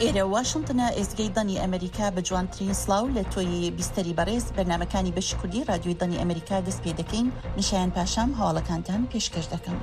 ئێرە واشنتنە ئێزگەی دەنگی ئەمەریکا بە جوانترین سڵاو لە تۆی بیستەری بەڕێز بەرنامەکانی بەشی کوردی ڕادیۆی دەنگی ئەمەریکا دەست پێ دەکەین من شایان پاشام هەواڵەکانتان پێشکەش دەکەم.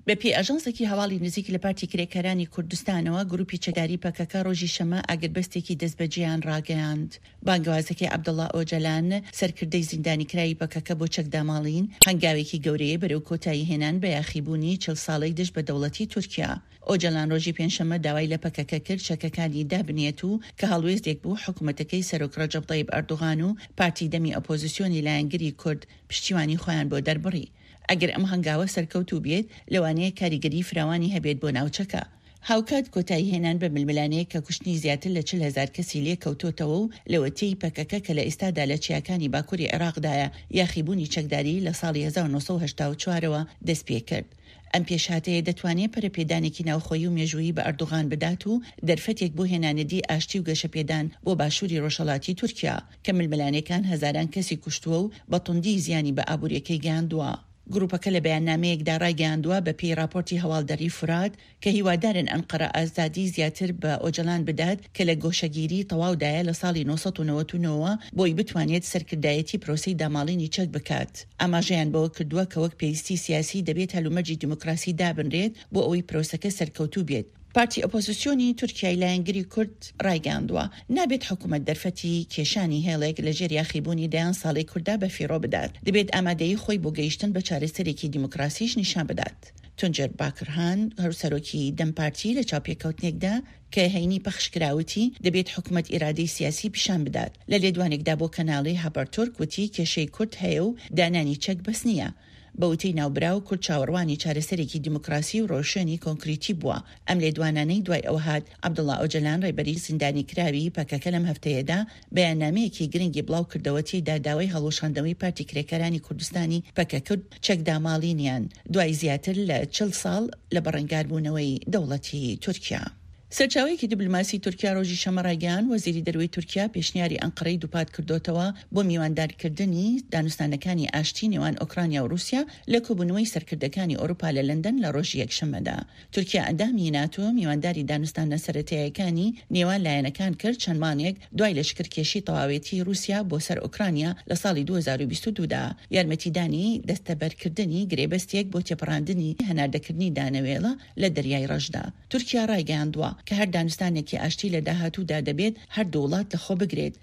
بە پێی ئاژانسێکی هەواڵی نزیک لە پارتی کرێکارانی کوردستانەوە، گروپی چەکداری پەکەکە ڕۆژی شەممە ئاگربەستێکی دەستبەجێیان ڕاگەیاند. بانگەوازەکەی عەبدوڵا ئۆجەلان، سەرکردەی زیندانیکراوی پەکەکە بۆ چەکداماڵین، هەنگاوێکی گەورەیە بەرەو کۆتاییهێنان بە یاخیبوونی 40 ساڵەی دژ بە دەوڵەتی تورکیا. ئۆجەلان ڕۆژی پێنجشەممە داوای لە پەکەکە کرد چەکەکانی دابنێت و کە هەڵوێستێک بوو حکومەتەکەی سەرۆک ڕەجەب تەیب ئەردوغان و پارتی دەمی ئۆپۆزسیۆنی لایەنگری کورد پشتیوانی خۆیان بۆ دەربڕی. ئەگەر ئەم هەنگاوە سەرکەوتوو بێت، لەوانەیە کاریگەریی فراوانی هەبێت بۆ ناوچەکە. هاوکات کۆتاییهێنان بە ململانێیەک کە کوشتنی زیاتر لە 40 هەزار کەسی لێکەوتۆتەوە و لەوەتەی پەکەکە کە لە ئێستادا لە چیاکانی باکوری عێراقدایە یاخیبوونی چەکداری لە ساڵی 1984 ەوە دەستپێکرد. ئەم پێشهاتەیە دەتوانێت پەرەپێدانێکی ناوخۆیی و مێژوویی بە ئەردوغان بدات و دەرفەتێک بۆ هێنانەدی ئاشتی و گەشەپێدان بۆ باشووری ڕۆژهەڵاتی تورکیا کە ململانێکان هەزاران کەسی کوشتووە و بە توندی زیانی بە ئابوورییەکەی گەیاندووە. گروپەکە لە بەیاننامەیەکدا ڕایگەیاندووە، بە پێی ڕاپۆرتی هەواڵدەریی فورات، کە هیوادارن ئەنقەرە ئازادی زیاتر بە ئۆجەلان بدات کە لە گۆشەگیری تەواودایە لە ساڵی 999 ەوە بۆی بتوانێت سەرکردایەتی پرۆسەی داماڵینی چەک بکات. ئاماژەیان بەوە کردووە کە وەک پێویستی سیاسی دەبێت هەلومەرجی دیموکراسی دابنرێت بۆ ئەوەی پرۆسەکە سەرکەوتوو بێت. پارتی ئۆپۆزسیۆنی تورکیای لایەنگری کورد ڕایگەیاندووە، نابێت حکومەت دەرفەتی کێشانی هێڵێک لە ژێر یاخیبوونی دەیان ساڵەی کورددا بەفیڕۆ بدات، دەبێت ئامادەیی خۆی بۆ گەیشتن بە چارەسەرێکی دیموکراسیش نیشان بدات. تونجەر باکرهان، هاوسەرۆکی دەم پارتی لە چاوپێکەوتنێکدا کە هەینی پەخشکرا وتی، دەبێت حکومەت ئیرادەی سیاسی پیشان بدات. لە لێدوانێکدا بۆ کەناڵی هابەرتورک وتی، کێشەی کورد هەیە و دانانی چەک بەس نییە. بە وتەی ناوبراو، کورد چاوەڕوانی چارەسەرێکی دیموکراسی و ڕێوشوێنی کۆنکریتی بووە. ئەم لێدوانانەی دوای ئەوە هات، عەبدوڵا ئۆجەلان ڕێبەری زیندانیکراوی پەکەکە لەم هەفتەیەدا بەیاننامەیەکی گرنگی بڵاوکردەوە تێیدا داوای هەڵوەشاندنەوەی پارتی کرێکارانی کوردستانی پەکەکە و چەکداماڵینیان دوای زیاتر لە 40 ساڵ لە بەڕەنگاربوونەوەی دەوڵەتی تورکیا. سەرچاوەیەکی دیبلۆماسی تورکیا ڕۆژی شەممە ڕایگەیاند، وەزیری دەرەوەی تورکیا پێشنیاری ئەنقەرەی دووپاتکردۆتەوە بۆ میواندارکردنی دانوستانەکانی ئاشتی نێوان ئۆکرانیا و ڕووسیا لە کۆبوونەوەی سەرکردەکانی ئەوروپا لە لەندەن لە ڕۆژی یەکشەممەدا. تورکیا ئەندامی ناتۆ میوانداری دانوستاندنە سەرەتاییەکانی نێوان لایەنەکان کرد چەند مانگێک دوای لەشکرکێشی تەواوێتی ڕووسیا بۆ سەر ئۆکرانیا لە ساڵی 2022 دا، یارمەتیدانی دەستەبەرکردنی گرێبەستێک بۆ تێپەڕاندنی هەناردەکردنی دانەوێڵە لە دەریای ڕەشدا. تورکیا ڕایگەیاندووە کە هەر دانوستانێکی ئاشتی لە داهاتوودا دەبێت هەردوو وڵات لەخۆبگرێت.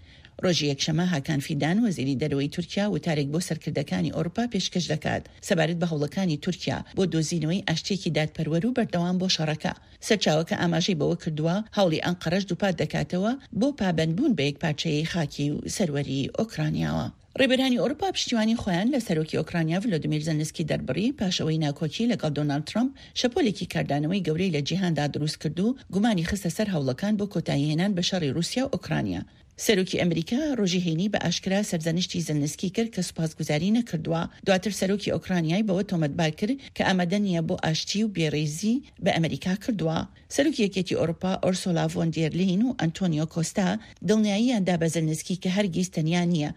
ڕۆژی یەکشەممە هاکان فیدان، وەزیری دەرەوەی تورکیا وتارێک بۆ سەرکردەکانی ئەوروپا پێشکەش دەکات سەبارەت بە هەوڵەکانی تورکیا بۆ دۆزینەوەی ئاشتییەکی دادپەروەر و بەردەوام بۆ شەڕەکە. سەرچاوەکە ئاماژەی بەوە کردووە، هەوڵی ئەنقەرەش دووپات دەکاتەوە بۆ پابەندبوون بە یەکپارچەیی خاکی و سەروەری ئۆکرانیاوە. ڕێبەرانی ئەوروپا پشتیوانی خۆیان لە سەرۆکی ئۆکرانیا ڤلۆدیمیر زێلنسکی دەربڕی پاش ئەوەی ناکۆکی لەگەڵ دۆناڵد ترەمپ شەپۆلێکی کاردانەوەی گەورەی لە جیهاندا دروستکرد و گومانی خستە سەر هەوڵەکان بۆ کۆتاییهێنان بە شەڕی ڕووسیا و ئۆکرانیا. سەرۆکی ئەمریکا ڕۆژی هەینی بە ئاشکرا سەرزەنشتی زێلنسکی کرد کە سوپاسگوزاری نەکردووە، دواتر سەرۆکی ئۆکرانیای بەوە تۆمەتبار کرد کە ئامادە نییە بۆ ئاشتی و بێڕێزی بە ئەمریکا کردووە. سەرۆکی یەکێتی ئەوروپا ئۆرسۆلا ڤۆن دێر لین و ئەنتۆنیۆ کۆستا دڵنیاییان دا بە زێلنسکی کە هەرگیز تەنیا نییە.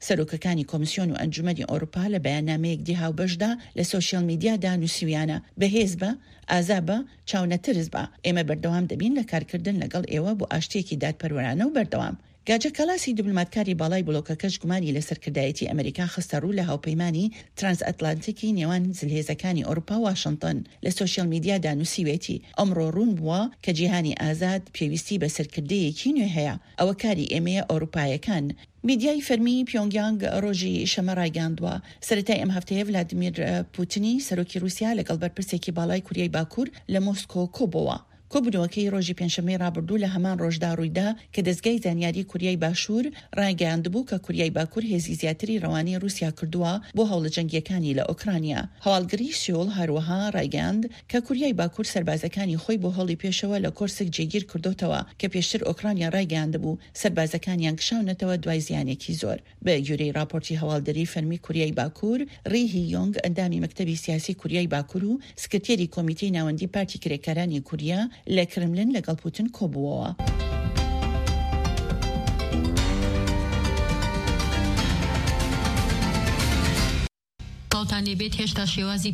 سەرۆکەکانی کۆمسیۆن و ئەنجومەنی ئەوروپا لە بەیاننامەیەکدی هاوبەشدا لە سۆشیال میدیادا نووسیویانە، بەهێز بە، ئازا بە، چاونەترس بە، ئێمە بەردەوام دەبین لە کارکردن لەگەڵ ئێوە بۆ ئاشتییەکی دادپەروەرانە و بەردەوام. گاجە کالاسی دیبلۆماتکاری باڵای بلۆکەکەش گومانی لە سەرکردایەتی ئەمریکا خستە ڕوو لە هاوپەیمانی ترانسئەتلانتیکی نێوان زلهێزەکانی ئەوروپا و واشنتن لە سۆشیال میدیادا نووسیوێتی ئەمڕۆ ڕوون بووە کە جیهانی ئازاد پێویستی بە سەرکردەیەکی نوێ هەیە ئەوە کاری ئێمەیە ئەوروپایەکان میدیای فەرمی پیۆنگیانگ ڕۆژی شەمە ڕایگەیاندووە، سەرەتای ئەم هەفتەیە ڤلادیمیر پوتنی سەرۆکی ڕووسیا لەگەڵ بەرپرسێکی باڵای کوریای باکوور لە مۆسکۆ کۆبۆوە. کۆبوونەوەکەی ڕۆژی پێنجشەممەی ڕابردوو لە هەمان ڕۆژدا ڕوویدا کە دەزگای زانیاری کوریای باشوور ڕایگەیاندبوو کە کوریای باکوور هێزی زیاتری ڕەوانەی ڕووسیا کردووە بۆ هەوڵە جەنگییەکانی لە ئۆکرانیا. هەواڵگری سیۆل هەروەها ڕایگەیاند کە کوریای باکوور سەربازەکانی خۆی بۆ هەوڵی پێشەوە لە کۆرسک جێگیر کردۆتەوە کە پێشتر ئۆکرانیا ڕایگەیاندبوو سەربازەکانیان کشاونەتەوە دوای زیانێکی زۆر. بە گوێرەی ڕاپۆرتی هەواڵدەریی فەرمی کوریای باکوور، ڕی هی یۆنگ ئەندامی مەکتەبی سیاسی کوریای باکوور و سکرتێری کۆمیتەی ناوەندی پارتی کرێکارانی کوریا لە کرملن لەگەڵ پوتن کۆبووەوە. سڵاوتان لێبێت هێشتا شێوازی.